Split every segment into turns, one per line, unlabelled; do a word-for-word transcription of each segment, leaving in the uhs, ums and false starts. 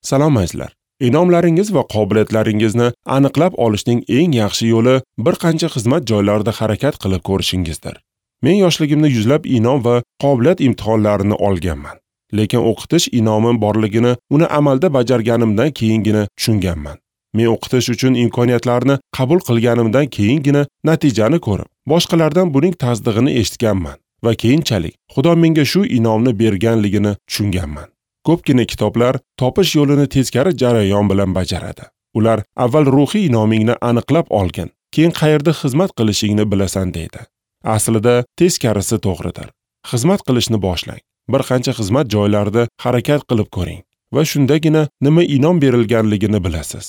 Salom azizlar. Inomlaringiz va qobiliyatlaringizni aniqlab olishning eng yaxshi yo'li bir qancha xizmat joylarida harakat qilib ko'rishingizdir. Men yoshligimda yuzlab inom va qobiliyat imtihonlarini olganman. Lekin o'qitish inomim borligini uni amalda bajarganimdan keyingina tushunganman. Men o'qitish uchun imkoniyatlarni qabul qilganimdan keyingina natijani ko'rib, boshqalardan buning tasdig'ini eshitganman va keyinchalik Xudo menga shu inomni berganligini tushunganman. Ko'pgina kitoblar topish yo'lini teskari jarayon bilan bajaradi. Ular avval ruhiy inomingni aniqlab olgin, keyin qayerda xizmat qilishingni bilasan deydi. Aslida teskarisi to'g'ridir. Xizmat qilishni boshlang. Bir qancha xizmat joylarida harakat qilib ko'ring va shundagina nima inom berilganligini bilasiz.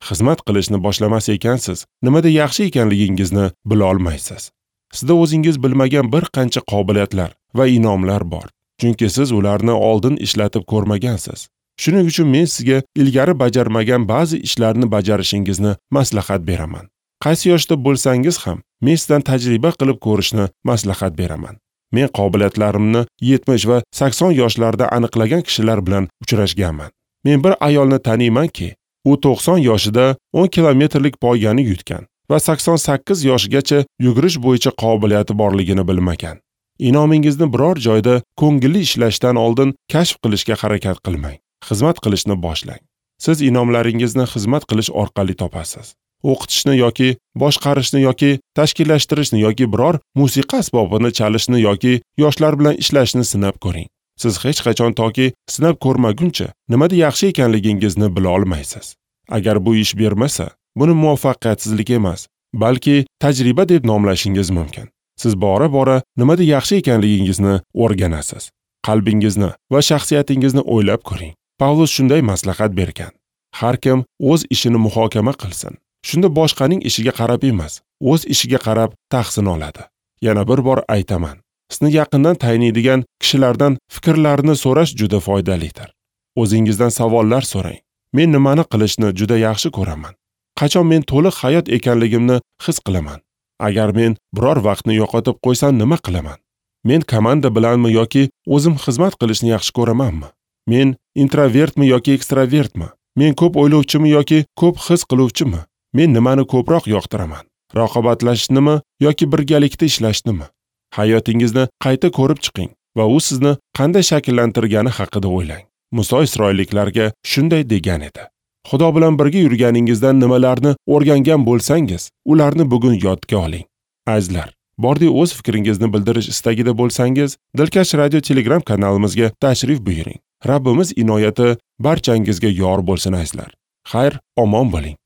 Xizmat qilishni boshlamas ekansiz, nimada yaxshi ekanligingizni bila olmaysiz. Sizda o'zingiz bilmagan bir qancha qobiliyatlar va inomlar bor. Chunki siz ularni oldin ishlatib ko'rmagansiz. Shuning uchun men sizga ilgari bajarmagan ba'zi ishlarni bajarishingizni maslahat beraman. Qaysi yoshda bo'lsangiz ham, men sizdan tajriba qilib ko'rishni maslahat beraman. Men qobiliyatlarimni yetmish va sakson yoshlarda aniqlagan kishilar bilan uchrashganman. Men bir ayolni taniymanki, u to'qson yoshida o'n kilometrlik poygani yutgan va sakson sakkiz yoshigacha yugurish bo'yicha qobiliyati borligini bilmagan. Inomingizni biror joyda ko'ngilli ishlashdan oldin kashf qilishga harakat qilmang. Xizmat qilishni boshlang. Siz inomlaringizni xizmat qilish orqali topasiz. O'qitishni yoki boshqarishni yoki tashkillashtirishni yoki biror musiqa asbobini chalishni yoki yoshlar bilan ishlashni sinab ko'ring. Siz hech qachon toki sinab ko'rmaguncha nimada yaxshi ekanligingizni bila olmaysiz. Agar bu ish bermasa, buni muvaffaqiyatsizlik emas, balki tajriba deb nomlashingiz mumkin. Siz bora-bora nimada yaxshi ekanligingizni o'rganasiz. Qalbingizni va shaxsiyatingizni o'ylab ko'ring. Pavlus shunday maslahat bergan. Har kim o'z ishini muhokama qilsin. Shunda boshqaning ishiga qarab emas, o'z ishiga qarab tahsin oladi. Yana bir bor aytaman. Sizni yaqindan taniydigan kishilardan fikrlarini so'rash juda foydalidir. O'zingizdan savollar so'rang. Men nimani qilishni juda yaxshi ko'raman? Qachon men to'liq hayot ekanligimni his qilaman? Agar men biror vaqtni yo'qotib qo'ysam nima qilaman? Men komanda bilanmi yoki o'zim xizmat qilishni yaxshi ko'ramanmi? Men introvertmi yoki ekstravertmi? Men ko'p o'ylovchimi yoki ko'p his qiluvchimi? Men nimani ko'proq yoqtiraman? Raqobatlashishnimi yoki birgalikda ishlashnimi? Hayotingizni qayta ko'rib chiqing va u sizni qanday shakllantirgani haqida o'ylang. Muso Isroilliklarga shunday degan edi. Xudo bilan birga yurganingizdan nimalarni o'rgangan bo'lsangiz, ularni bugun yodga oling. Azizlar, bordi o'z fikringizni bildirish istagida bo'lsangiz, Dilkash Radio Telegram kanalimizga tashrif buyuring. Rabbimiz inoyati barchangizga yor bo'lsin azizlar. Xayr, omon bo'ling.